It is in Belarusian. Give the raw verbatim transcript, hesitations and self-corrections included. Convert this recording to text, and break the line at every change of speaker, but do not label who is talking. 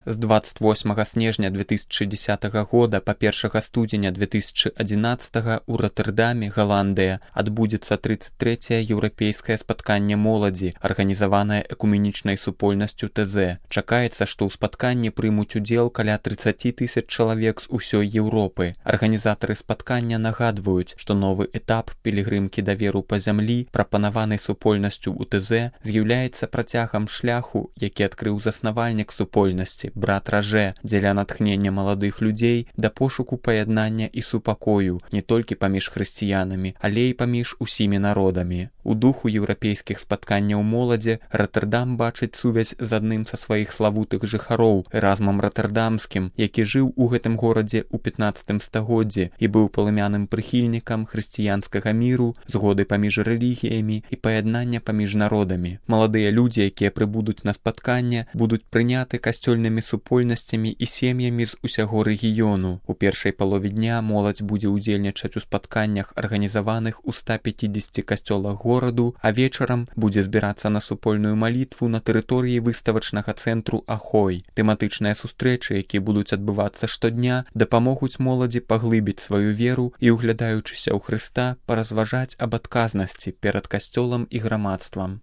З двадцать восьмага снежня две тысячи десятага года па першага студзеня две тысячи одиннадцатага ў Роттердаме, Галандыя, адбудзецца тридцать трэцяе еўрапейскае спатканне моладзі, арганізаванае экуменічнай супольнасцю тэ зэ. Чакаецца, што ў спатканні прымуць удзел каля тридцать тысяч чалавек з усёй Еўропы. Арганізатары спаткання нагадваюць, што новы этап пілігрымкі даверу па зямлі, прапанаванай супольнасцю ў тэ зэ, з'яўляецца працягам шляху, які адкрыў заснавальнік супольнасці, брат Ражэ, дзеля натхнення маладых людзей да пошуку паяднання і супакою не толькі паміж хрысціянамі, але і паміж усімі народамі. У духу еўрапейскіх спатканняў моладзі Роттердам бачыць сувязь з адным са сваіх славутых жыхароў, Эразмам Роттердамскім, які жыў у гэтым горадзе ў пятнаццатым стагоддзі і быў палымяным прыхільнікам хрысціянскага міру, згоды паміж рэлігіямі і паяднання паміж народамі. Маладыя людзі, якія прыбудуць на спатканне, будуць прыняты касцёльнымі супольнасцямі і сем'ямі з усяго рэгіёну. У першай палове дня моладзь будзе ўдзельнічаць у спатканнях, арганізаваных у ста пяцідзесяці касцёлах гораду, а вечарам будзе збірацца на супольную малітву на тэрыторыі выставачнага цэнтру Ахой. Тэматычныя сустрэчы, якія будуць адбывацца штодня, дапамогуць моладзі паглыбіць сваю веру і, углядаючыся ў Хрыста, паразважаць аб адказнасці перад касцёлам і грамадствам.